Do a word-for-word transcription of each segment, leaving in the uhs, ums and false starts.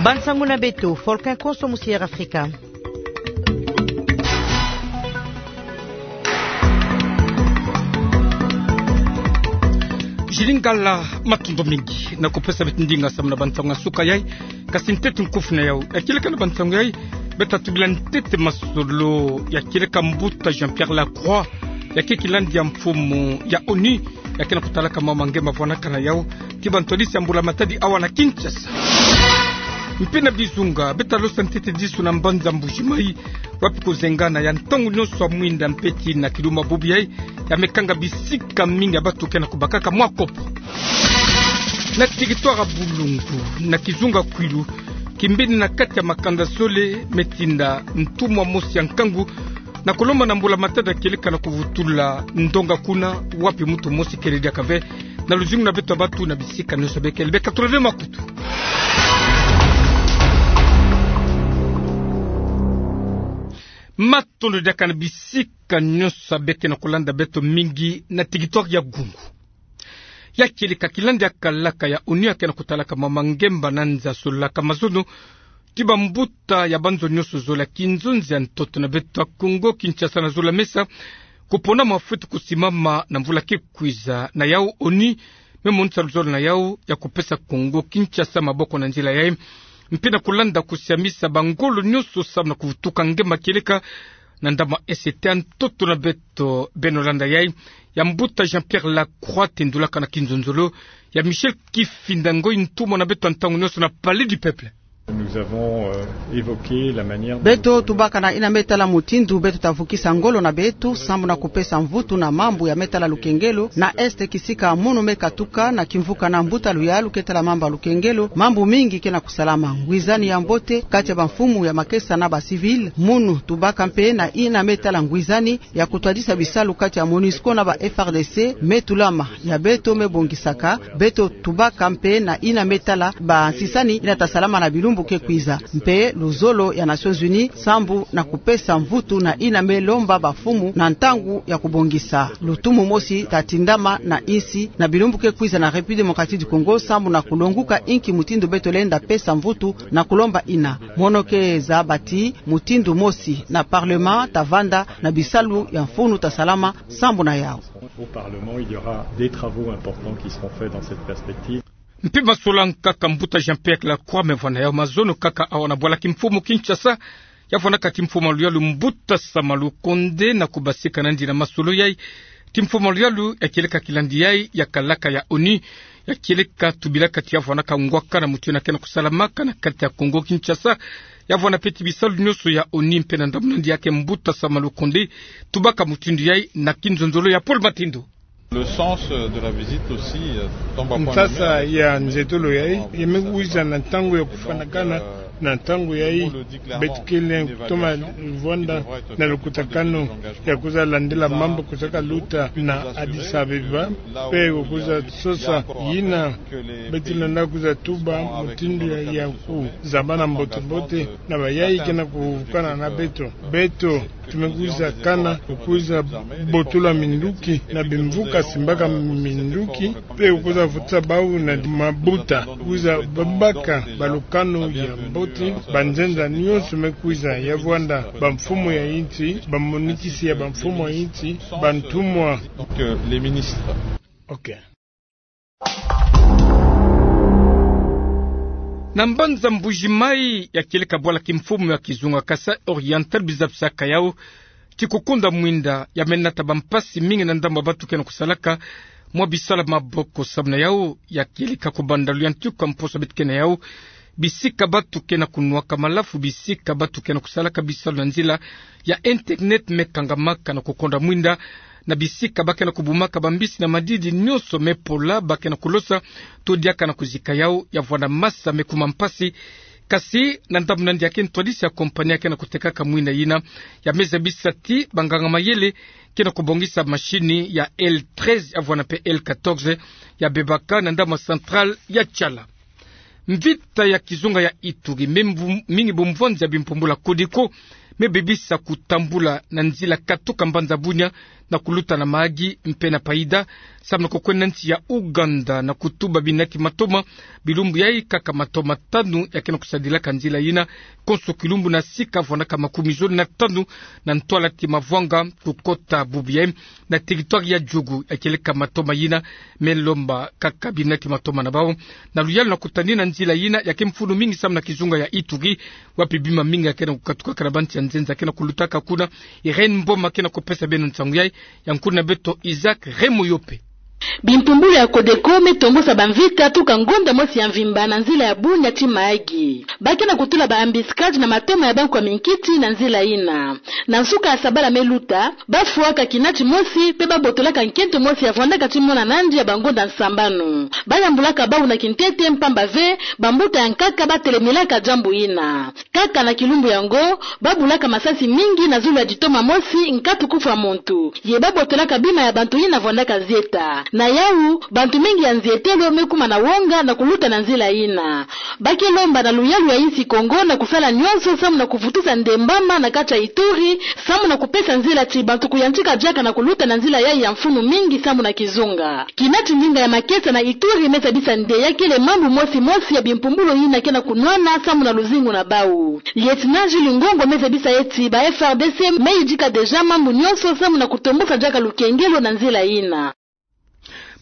Bansangu na beto, Volcan Konso musi Air Afrika. Jilingala, matondo mingi na kupesa beto ndinga samu na bansangu ya suka yai. Kasi ntete nkufi na yau. Ya kieleka na bansangu yai, beto tubila ntete masolo ya kieleka mbuta Jean-Pierre Lacroix, ya ke kilandi ya mfumu ya ONU, ya ke na kutalaka mama nge mavwanaka na yau, ti bantwadisi ya mbula matadi awa na Kinshasa. Mpe na bizunga, beto losa ntete disu na mbanza Mbuji-Mayi, wapi kuzengana ya ntangu nyonso ya mwinda mpe tii na kiluma bubu yai, ya mekanga bisika mingi ya batu ke na kubakaka mwa kopo. Na territoire ya Bulungu, na kizunga Kwilu, kimbeni na kati ya makanda zole me tinda ntumwa mosi ya nkangu na kulomba na mbula matadi ya kieleka na kuvutula ndonga kuna, wapi muntu mosi kele diaka ve na luzingu na beto ya batu na bisika nyonso bekele. Beka tulave makutu. Matondo diaka na bisika nyonso beke na kulanda beto mingi na territoire ya Gungu. Ya kieleka kilandi ya kalaka ya ONU ya ke na kutalaka mama nge mbanza sololaka mazono ti bambuta ya banzo nyonso zole ya kinzonzi ya ntoto na beto ya Kongo Kinshasa na zolo ya mesa, kupona mafuti kusimama na mvula ke kwiza. Na yau ONU me monisa luzolo na yau ya kupesa Kongo Kinshasa maboko na nzila yai, mpe na kulanda kusiamisa bangolo nyonso samu na kuvutuka nge ma kieleka na ndambu ya ese ya ntoto na beto. Beno landa yai, ya mbuta Jean-Pierre Lacroix tendulaka na kinzonzolo ya Michel Kifinda Ngoi, ntumwa na beto ya ntangu nyonso na Palais du Peuple. Nous avons, euh, évoqué la manière dont... Beto tubaka na yina me tala mutindu beto ta vukisa ngolo na beto samu na kupesa mvutu na mambu ya me tala lukengelo na Est, kisika munu me katuka na kimvuka na mbuta luyalu ke tala mambu ya lukengelo. Mambu mingi ke na kusalama, ngwizani ya mbote kati ya bamfumu ya makesa na ba civil. Munu tubaka mpe na yina me tala ngwizani ya kutwadisa bisalu kati ya MONUSCO na ba F R D C me tulama. Ya beto me bongisaka, beto tubaka mpe na yina me tala bansisani yina ta salama na bilumbu ke kwiza, mpe luzolo ya Nations Unies sambu na kupesa mvutu na yina me lomba bamfumu na ntangu ya kubongisa lutumu mosi ta tindama na insi na bilumbu ke kwiza na République Démocratique du Congo, sambu na kulonguka inki mutindu beto lenda pesa mvutu na kulomba yina. Mono ke zaba ti mutindu mosi na Parlement ta vanda na bisalu ya mfunu ta salama sambu na yau. Au Parlement, il y aura des travaux importants qui seront faits dans cette perspective. Mpe masolo nkaka mbuta Jean-Pierre Lacroix me vwa na yau mazono kaka awa na bwala kimfumu Kinshasa, ya vwanaka ti mfumu ya luyalu mbuta Sama Lukonde na kubasika na yandi na masolo yai. Ti mfumu ya luyalu ya kieleka kilandi yai ya kalaka ya ONU, ya kieleka tubilaka ti ya vwanaka ngwaka na mutu yina ke na kusalamaka na kati ya Kongo Kinshasa, ya vwana mpe ti bisalu nyonso ya ONU. Mpe na ndambu na yandi yake mbuta Sama Lukonde tubaka mutindu yai na kinzonzolo ya Paul Matindo. Le sens de la visite aussi, euh, tombe à point nommé. Nsasa ya nzetolo yai, ya me kwiza na ntangu ya kufwanakana. Na ntangu yai, beto kele kutoma vwanda na lukutakanu ya kwiza landila mambu kwiza kaluta na Addis Abeba, mpe kwiza sosa yina beto lenda kwiza tuba mutindu ya, ya kuzabana mbote-mbote na bayai ke na kuvukana na beto. Beto tu me kwiza kana, kwiza botula minduki na bimvuka simbaka minduki, mpe kwiza vutisa bau na mabuta, kwiza babaka balukanu ya mbote. Banzenza nyonso me kwiza, ya vwanda bamfumu ya insi, bamonikisi ya bamfumu ya insi, bantumwa. Donc, euh, les ministres. Ok. Na mbanza Mbuji-Mayi, ya kieleka bwala kimfumu ya kizunga Kasaï Oriental, biza bisaka yau ti kukunda mwinda ya me nata bampasi mingi na ndambu ya batu ke na kusalaka mwa bisalu ya maboko. Samu na yau, ya kieleka kubanda luyantiku ya mposo beto ke na yau, bisika batu ke na kunwaka malafu, bisika batu ke na kusalaka bisalu na nzila ya internet me kangamaka na kukonda mwinda, na bisika ba ke na kubumaka bambisi na madidi nyonso me pola, ba ke na kulosa to diaka na kuzika yau, ya vwanda masa me kuma mpasi. Kasi na ndambu na yandi yake ntwadisi ya compagnie ya ke na kutekaka mwinda yina, ya me zabisa ti banganga mayele ke na kubongisa mashini ya L treize ya vwanda mpe L quatorze ya bebaka na ndambu ya centrale ya Tshala. Mvita ya kizunga ya Ituri, me mvu-, mingi bumvwanzi ya bimpumbula Codeco me bebisa kutambula na nzila katuka mbanza Bunia na kuluta na mahagi mpe na paida, samu na kukwenda nsi ya Ouganda na kutuba binati matoma. Bilumbu yai, kaka matoma tanu ya ke na kusadilaka nzila yina, konso kilumbu na sika vwandaka makumi zole na tanu na ntwala ti Mavwanga kukota bubu yai na territoire ya Djugu. Ya kieleka matoma yina me lomba kaka binati matoma na bau na luyalu na kutanina nzila yina ya ke mfunu mingi samu na kizunga ya Ituri, wapi bima mingi ya ke na kukatukaka na bansi ya nzenza ke na kulutaka kuna. Irène Mboma ke na kupesa beno nsangu yai, ya nkuna beto Isaac Remoyope. Bimpumbulu ya Codeco me tombosa bamvita tuka ngonda mosi ya mvimba na nzila ya Bunia ti mahagi. Ba ke na kutula ba embuscade na matoma ya bankwa minkiti na nzila yina. Na nsuka ya sabala me luta, ba fwaka kinati mosi mpe ba botolaka nkento mosi ya vwandaka ti mona nandi ya bangonda sambanu. Ba yambulaka bau na kintete mpamba ve bambuta ya nkaka ba telemilaka diambu yina. Kaka na kilumbu yango, ba bulaka masasi mingi na zulu ya ditoma mosi, nkatu kufwa muntu. Ye ba botolaka bima ya bantu yina vwandaka zieta. Na yau, bantu mingi ya nzietelo me kuma na wonga na kuluta na nzila yina. Ba ke lomba na luyalu ya insi Congo na kusala nyonso samu na kuvutusa ndembama na kati ya Ituri, samu na kupesa nzila ti bantu kuyantika diaka na kuluta na nzila yai ya mfunu mingi samu na kizunga. Kinati ndinga ya makesa na Ituri me zabisa nde ya kele mambu mosi mosi ya bimpumbulu yina ke na kunwana samu na luzingu na bau. Lieutenant Jules Ngongo me zabisa ye ti ba F R D C me yidika déjà mambu nyonso samu na kutombosa diaka lukengelo na nzila yina.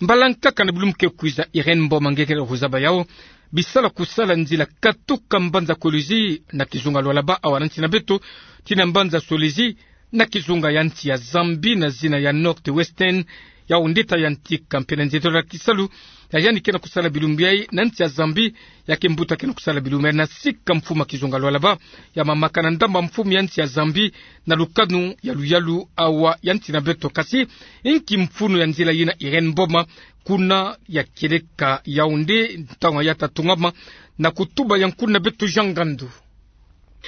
Mbala nkaka na bilumbu ke kwiza, Irène Mboma nge ke na kuzaba yau, bisala kusala nzila katuka mbanza Kolwezi na kizunga Lualaba, awa na nsi na beto, tii na mbanza Solwezi na kizunga ya nsi ya Zambie, na zina ya North Western, yau nde ta yantika mpe na nzietelo ya kisalu ya yandi ke na kusala bilumbu yai na nsi ya Zambie. Ya ke mbuta ke na kusala bilumbu yai na sika mfumu ya kizunga Lualaba, ya mamaka na ndamba mfumu ya nsi ya Zambie na lukanu ya luyalu awa ya nsi na beto. Kasi inki mfunu ya nzila yina, Irène Mboma, kuna ya kieleka Yaoundé, ntangu ya ta tungama? Na kutuba ya nkuna beto Jean Ngandu.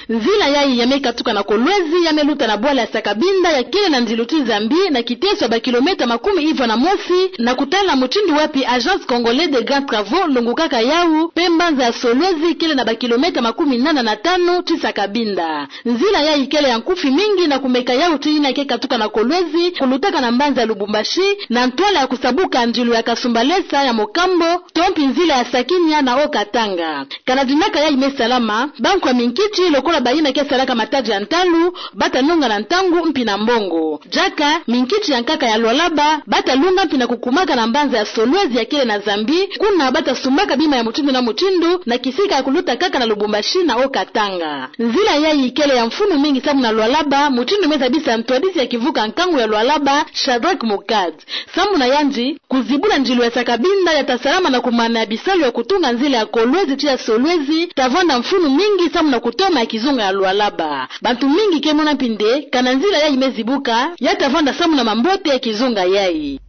Nzila yai ya me katuka na Kolwezi, ya me luta na bwala ya Sakabinda, ya kele na ndilu ti Zambie, na kiteso ya bakilomètre makumi ivwa na mosi, na kutala mutindu wapi Agence Congolaise des Grands Travaux longukaka yau, mpe mbanza ya Solwezi kele na bakilomètre makumi nana na tanu ti Sakabinda. Nzila yai kele ya nkufi mingi na kumeka yau ti yina ke katuka na Kolwezi, kulutaka na mbanza ya Lubumbashi, na ntwala ya kusabuka ndilu ya Kasumbalesa ya Mokambo, to mpi nzila ya Sakinia na Haut-Katanga. Kana dinaka yai me salama, bankwa minkiti, lokola bayina ke salaka matadi ya ntalu, ba ta nonga na ntangu mpi na mbongo. Diaka, minkiti ya nkaka ya Lualaba ba ta lunga mpi na kukumaka na mbanza ya Solwezi ya kele na Zambie, kuna ba ta sumbaka bima ya mutindu na mutindu, na kisika ya kuluta kaka na Lubumbashi na Haut-Katanga. Nzila yai kele ya mfunu mingi samu na Lualaba, mutindu me zabisa ntwadisi ya kivuka nkangu ya Lualaba, Shadrack Mukad. Samu na yandi, kuzibula ndilu ya Sakabinda ya ta salama na kumana ya bisalu ya kutunga nzila ya Kolwezi tii ya Solwezi ta vwanda mfunu mingi samu na kutoma ya kizunga ya Lualaba. Bantu mingi ke mona mpi nde, kana nzila yai me zibuka, ya ta vwanda samu na mambote ya kizunga yai.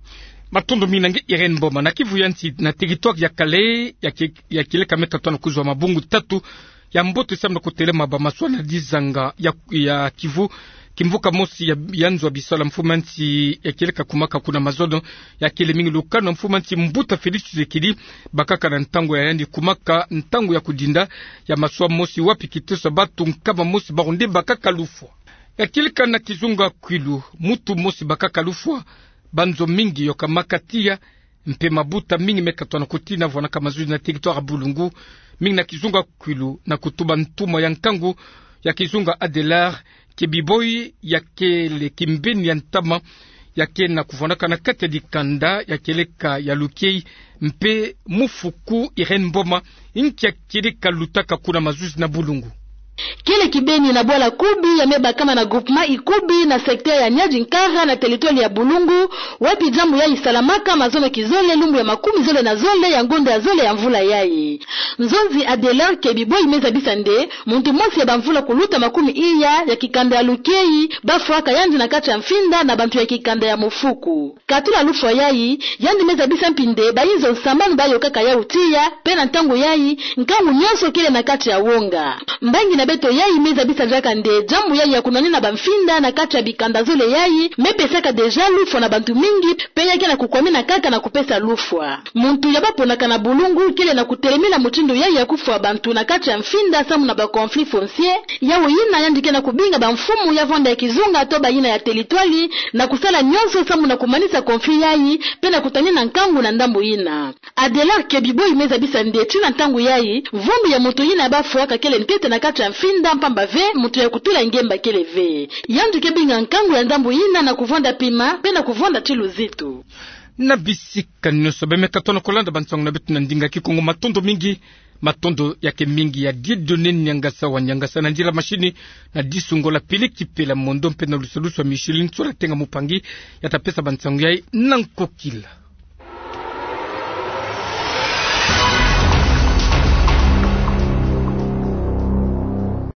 Matondo mingi na nge Irène Mboma. Na Kivu ya nsi, na territoire ya Kalehe, ya ki-, ya kieleka me katuka na kuzwa mabungu tatu ya mbote samu na kutelema ba maswa na dizanga ya, ya Kivu. Kimvuka mosi ya, ya nzo ya bisalu ya mfumu ya nsi ya kieleka kumaka kuna mazono, ya kele mingi lukanu ya mfumu ya nsi mbuta Félix Tshisekedi, bakaka na ntangu ya yandi kumaka ntangu ya kudinda ya maswa mosi wapi kiteso ya bantu nkama mosi bawu nde bakaka lufwa. Ya kieleka na kizunga Kwilu, muntu mosi bakaka lufwa, banzo mingi yokamaka tiya, mpe mabuta mingi me katuka na kutina vwanaka mazuzi na territoire ya Bulungu, mingi na kizunga Kwilu, na kutuba ntumwa ya nkangu ya kizunga Adelard Kebiboyi, ya kele kimbeni ya ntama, ya ke na kuvwanaka na kati ya dikanda ya kieleka ya Lukei mpe Mufuku. Irène Mboma, inki ya kieleka lutaka kuna mazuzi na Bulungu? Kele kibeni na bwala Kubi ya me bakama na groupement Ikubi na secteur ya Niari-Nkara na territoire ya Bulungu, wapi diambu yai salamaka mazono kizole lumbu ya makumi zole na zole ya ngonda ya zole ya mvula yai. Nzonzi Adelard Kebiboyi me zabisa nde, muntu mosi ya bamvula kuluta makumi iya ya kikanda ya Lukei, ba fwaka yandi na kati ya mfinda na bantu ya kikanda ya Mufuku. Katula lufwa yai, yandi me zabisa mpi nde bayinzo nsambanu ba yokaka yau tiya, mpe na ntangu yai, nkangu nyonso kele na kati ya wonga. Mbangi na Beto yayi me zabisa diaka nde diambu yayi ya kunwanina bamfinda na kati ya bikanda zole yayi me pesaka déjà lufwa na bantu mingi, pe ya ke na kukwamina kaka na kupesa lufwa. Muntu ya baponaka na bulungu kele na kutelemina mutindu yayi ya kufwa bantu na kati ya mfinda samu na ba conflit foncier, yawu yina yandi ke na kubinga bamfumu ya vwanda ya kizunga to bayina ya teritwali na kusala nyonso samu na kumanisa conflit yayi, pe na kutanina nkangu na ndambu yina. Adelard Kebiboyi me zabisa nde ti na ntangu yayi, vumbi ya muntu yina ya bafwa ka kele ntete na kati ya mfinda, mpamba ve muntu ya kutula ngemba kele ve. Yandi ke binga nkangu ya ndambu yina na kuvwanda pima pe na kuvwanda ti luzitu. Na bisika nyonso bameka tono kolanda bansangu na beto na ndinga Kikongo, matondo mingi. Matondo ya ke mingi ya Dieudonné Niangasa wa Niangasa, na ndila machine na Disungola Pele Kipela Mondo, mpe na lusalusu ya Micheline Sola Tenga Mupangi, ya ta pesa bansangu yayi na nkokila.